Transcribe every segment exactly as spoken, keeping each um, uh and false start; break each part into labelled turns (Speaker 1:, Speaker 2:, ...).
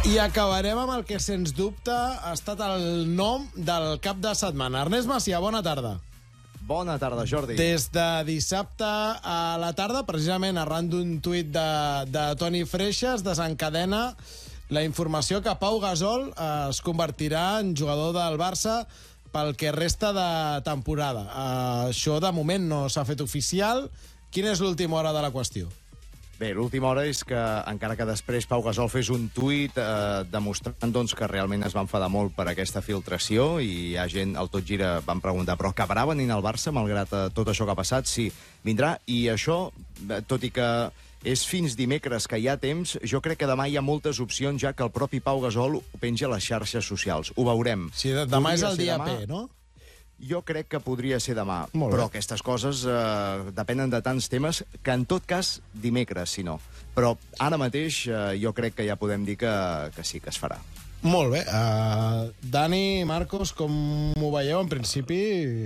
Speaker 1: I acabarem amb el que, sens dubte, ha estat el nom del cap de setmana. Ernest Macià, bona tarda.
Speaker 2: Bona tarda, Jordi.
Speaker 1: Des de dissabte a la tarda, precisament arran d'un tuit de, de Toni Freixa, es desencadena la informació que Pau Gasol es convertirà en jugador del Barça pel que resta de temporada. Uh, això, de moment, no s'ha fet oficial. Quina és l'última hora de la qüestió?
Speaker 2: Bé, l'última hora és que, encara que després Pau Gasol fes un tuit eh, demostrant doncs, que realment es va enfadar molt per aquesta filtració, i hi ha gent, al Tot Gira, van preguntar, però acabarà venint al Barça, malgrat eh, tot això que ha passat? Sí, vindrà, i això, tot i que és fins dimecres que hi ha temps, jo crec que demà hi ha moltes opcions, ja que el propi Pau Gasol ho penja a les xarxes socials. Ho veurem.
Speaker 1: Sí, demà és el dia P, no?
Speaker 2: Jo crec que podria ser demà,
Speaker 1: però
Speaker 2: aquestes coses eh, depenen de tants temes que, en tot cas, dimecres, si no. Però ara mateix eh, jo crec que ja podem dir que, que sí, que es farà.
Speaker 1: Molt bé. Uh, Dani, Marcos, com ho veieu? En principi...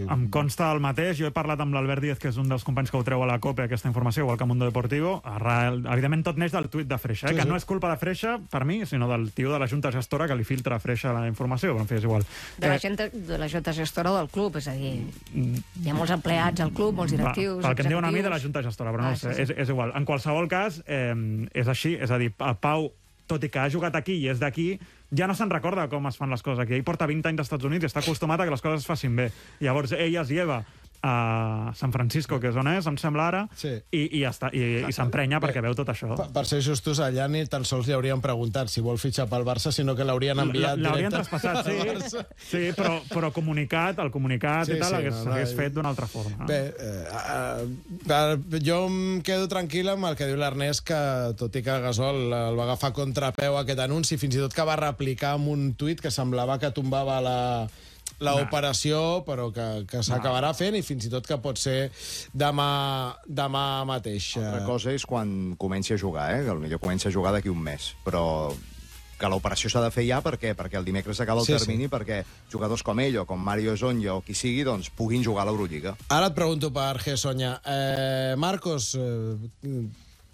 Speaker 3: Em consta el mateix. Jo he parlat amb l'Albert Díaz, que és un dels companys que ho treu a la COPE, aquesta informació, igual que Mundo Deportivo. Arrel, evidentment, tot neix del tuit de Freixa, eh? Sí, que sí. No és culpa de Freixa, per mi, sinó del tio de la Junta Gestora que li filtra a Freixa la informació. En fi, és igual.
Speaker 4: De la, gent, de la Junta Gestora del club, és a dir, hi ha molts empleats al club, molts directius...
Speaker 3: Va, pel que em diuen a mi, de la Junta Gestora, però no ah, sé, sí, sí. És, és igual. En qualsevol cas, eh, és així, és a dir, el Pau, tot i que ha jugat aquí i és d'aquí, ja no se'n recorda com es fan les coses aquí. Ell porta vint anys als Estats Units i està acostumat a que les coses es facin bé. Llavors, ell es lleva a San Francisco, que és on és, em sembla ara, sí. i, i, està, i, i s'emprenya perquè veu tot això.
Speaker 1: Per, per ser justos, allà ni tan sols li haurien preguntat si vol fitxar pel Barça, sinó que l'haurien enviat directe.
Speaker 3: L'haurien traspassat, sí, sí però, però comunicat, el comunicat sí, i tal, sí, hagués, no, hagués no, fet d'una altra forma. No?
Speaker 1: Bé, eh, eh, jo em quedo tranquil amb el que diu l'Ernest, que tot i que Gasol el va agafar contrapeu aquest anunci, fins i tot que va replicar amb un tuit que semblava que tombava la... l'operació, però que, que s'acabarà fent, i fins i tot que pot ser demà, demà mateix.
Speaker 2: Altra cosa és quan comenci a jugar, eh? Que potser comença a jugar d'aquí un mes, però que l'operació s'ha de fer ja, per què? Perquè el dimecres acaba el sí, termini, sí. Perquè jugadors com ell o com Mario Sonja o qui sigui, doncs puguin jugar a l'Eurolliga.
Speaker 1: Ara et pregunto per Gessoña. Eh, Marcos, eh,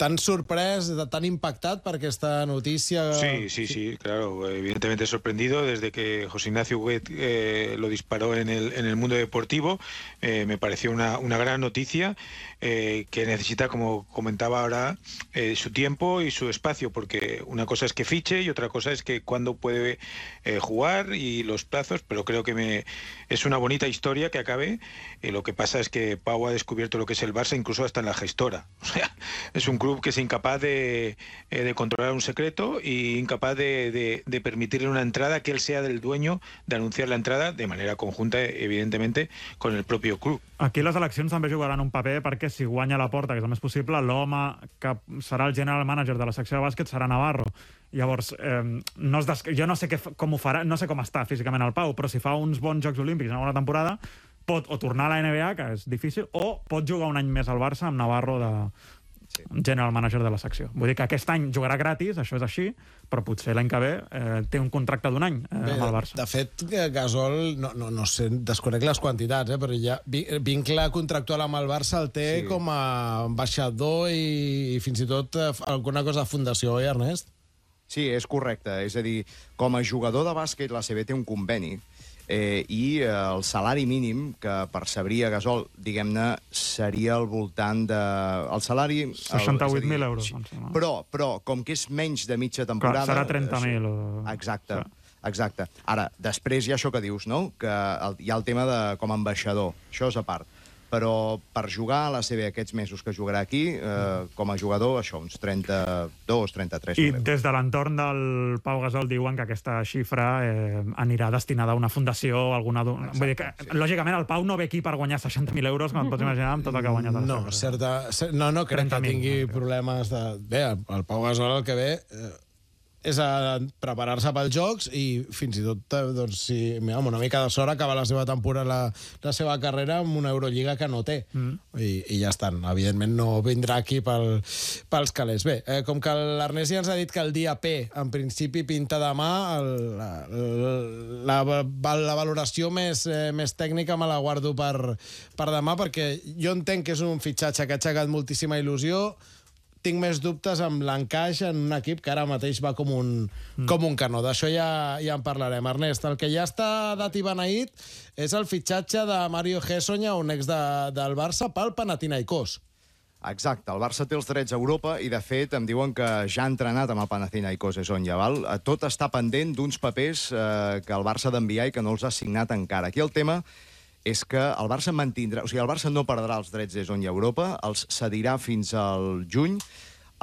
Speaker 1: ¿tan sorprès, tan impactat per aquesta noticia?
Speaker 5: Sí, sí, sí, claro. Evidentemente sorprendido desde que José Ignacio Huguet eh, lo disparó en el, en el Mundo Deportivo. Eh, me pareció una, una gran noticia eh, que necesita, como comentaba ahora, eh, su tiempo y su espacio, porque una cosa es que fiche y otra cosa es que cuándo puede eh, jugar y los plazos, pero creo que me, es una bonita historia que acabe. Eh, lo que pasa es que Pau ha descubierto lo que es el Barça, incluso hasta en la gestora. O sea, es un club que es incapaz de, eh, de controlar un secreto y incapaz de, de, de permitirle una entrada, que él sea del dueño de anunciar la entrada de manera conjunta, evidentemente, con el propio club.
Speaker 3: Aquí les eleccions també jugaran un paper, perquè si guanya la Porta, que és el més possible, l'home que serà el general manager de la secció de bàsquet serà Navarro. Llavors, eh, no es des... jo no sé que, com ho farà, no sé com està físicament el Pau, però si fa uns bons Jocs Olímpics en una bona temporada, pot o tornar a la N B A, que és difícil, o pot jugar un any més al Barça amb Navarro de... Sí. General manager de la secció. Vull dir que aquest any jugarà gratis, això és així, però potser l'any que ve eh, té un contracte d'un any eh, Bé, amb el Barça.
Speaker 1: De fet, Gasol, no, no, no sé, desconec les quantitats, eh, però ja vincle contractual amb el Barça el té sí. com a ambaixador i, i fins i tot eh, alguna cosa de fundació, oi, Ernest?
Speaker 2: Sí, és correcte. És a dir, com a jugador de bàsquet, l'A C B té un conveni Eh, i eh, el salari mínim que percebria Gasol, diguem-ne, seria al voltant de... El salari...
Speaker 3: seixanta-vuit mil euros.
Speaker 2: Però, però, com que és menys de mitja temporada...
Speaker 3: Clar, serà trenta mil. O...
Speaker 2: Exacte, exacte. Ara, després hi ha això que dius, no? Que el, hi ha el tema de com a ambaixador. Això és a part. Però per jugar a l'A C B aquests mesos que jugarà aquí, eh, com a jugador, això, uns trenta-dos, trenta-tres mil euros.
Speaker 3: I des de l'entorn del Pau Gasol diuen que aquesta xifra eh, anirà destinada a una fundació o alguna... Exacte, vull dir que, sí. Lògicament, el Pau no ve aquí per guanyar seixanta mil euros, com et pots imaginar, amb tot el que ha guanyat.
Speaker 1: No, certa, no, no crec que tingui problemes de... Bé, el Pau Gasol el que ve... Eh, és a preparar-se pels Jocs i fins i tot, doncs, si amb una mica de sort acaba la seva temporada, la, la seva carrera amb una Eurolliga que no té. Mm. I, I ja estan. Evidentment no vindrà aquí pel, pels calés. Bé, eh, com que l'Ernest ja ens ha dit que el dia P, en principi, pinta demà, el, la, la, la valoració més, eh, més tècnica me la guardo per, per demà, perquè jo entenc que és un fitxatge que ha aixecat moltíssima il·lusió. tinc més dubtes amb l'encaix en un equip que ara mateix va com un, mm. com un canó. D'això ja, ja en parlarem. Ernest, el que ja està dat i beneït és el fitxatge de Mario Hezonja, un ex de, del Barça, pel Panathinaikos.
Speaker 2: Exacte, el Barça té els drets a Europa i, de fet, em diuen que ja ha entrenat amb el Panathinaikos Hezonja, val? Tot està pendent d'uns papers eh, que el Barça ha d'enviar i que no els ha signat encara. Aquí el tema és que el Barça mantindrà... O sigui, el Barça no perdrà els drets d'Hezonja a Europa, els cedirà fins al juny.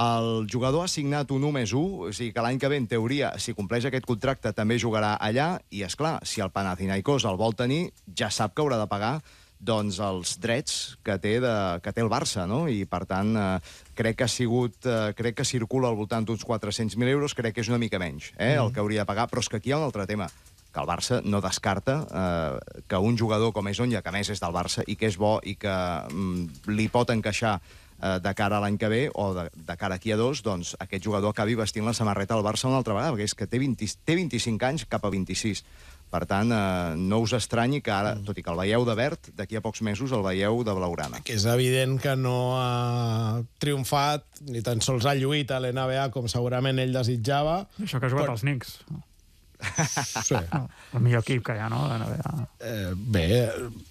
Speaker 2: El jugador ha signat un u més u, o sigui que l'any que ve, en teoria, si compleix aquest contracte, també jugarà allà, i, és clar, si el Panathinaikos el vol tenir, ja sap que haurà de pagar doncs els drets que té, de, que té el Barça, no? I, per tant, eh, crec que ha sigut... Eh, crec que circula al voltant d'uns quatre-cents mil euros, crec que és una mica menys, eh, mm. el que hauria de pagar, però és que aquí hi ha un altre tema, que el Barça no descarta eh, que un jugador com Hezonja, que a més és del Barça i que és bo i que mm, li pot encaixar eh, de cara a l'any que ve o de, de cara aquí a dos, doncs aquest jugador acabi vestint la samarreta del Barça una altra vegada, perquè és que té, vint, té vint-i-cinc anys cap a vint-i-sis. Per tant, eh, no us estranyi que ara, tot i que el veieu de verd, d'aquí a pocs mesos el veieu de blaugrana.
Speaker 1: Que és evident que no ha triomfat, ni tan sols ha lluït a l'N B A com segurament ell desitjava.
Speaker 3: Això que ha jugat
Speaker 1: però...
Speaker 3: als Knicks.
Speaker 1: Sí.
Speaker 3: No, el millor equip que hi ha, no? De N B A.
Speaker 1: Eh, bé,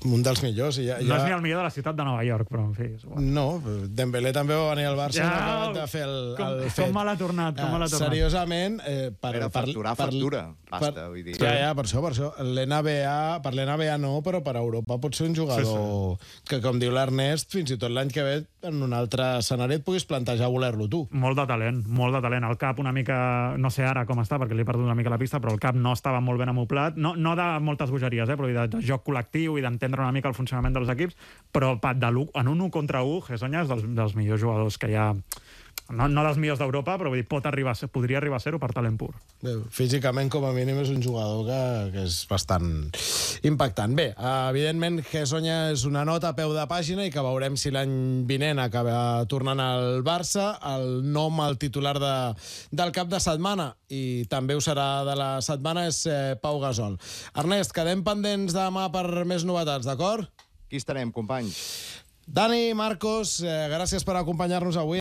Speaker 1: un dels millors. Ja, ja...
Speaker 3: No és ni el millor de la ciutat de Nova York, però en fi. És igual.
Speaker 1: No, Dembélé també va venir al Barça ja, i no ha acabat de fer el,
Speaker 3: com,
Speaker 1: el fet.
Speaker 3: Com me l'ha tornat, com me l'ha tornat.
Speaker 1: Seriosament, eh, per,
Speaker 2: Però
Speaker 1: per,
Speaker 2: facturar,
Speaker 1: per,
Speaker 2: factura, basta,
Speaker 1: per,
Speaker 2: vull dir.
Speaker 1: Ja, ja, per això, per això. L'N B A, per l'N B A no, però per Europa pot ser un jugador sí, sí. que, com diu l'Ernest, fins i tot l'any que ve, en un altre escenari et puguis plantejar voler-lo tu.
Speaker 3: Molt de talent, molt de talent. El cap una mica, no sé ara com està, perquè li he perdut una mica la pista, però el cap no estava molt ben amoplat. No, no de moltes bogeries, eh, però de, de joc col·lectiu i d'entendre una mica el funcionament dels equips, però de en un u contra u, Hezonja és dels, dels millors jugadors que hi ha... No, no dels millors d'Europa, però vull dir, pot arribar a ser, podria arribar a ser-ho per talent pur.
Speaker 1: Bé, físicament, com a mínim, és un jugador que, que és bastant impactant. Bé, evidentment, Hezonja és una nota a peu de pàgina i que veurem si l'any vinent acaba tornant al Barça. El nom, el titular de, del cap de setmana, i també ho serà de la setmana, és eh, Pau Gasol. Ernest, quedem pendents demà per més novetats, d'acord?
Speaker 2: Aquí estarem, companys.
Speaker 1: Dani, Marcos, eh, gràcies per acompanyar-nos avui.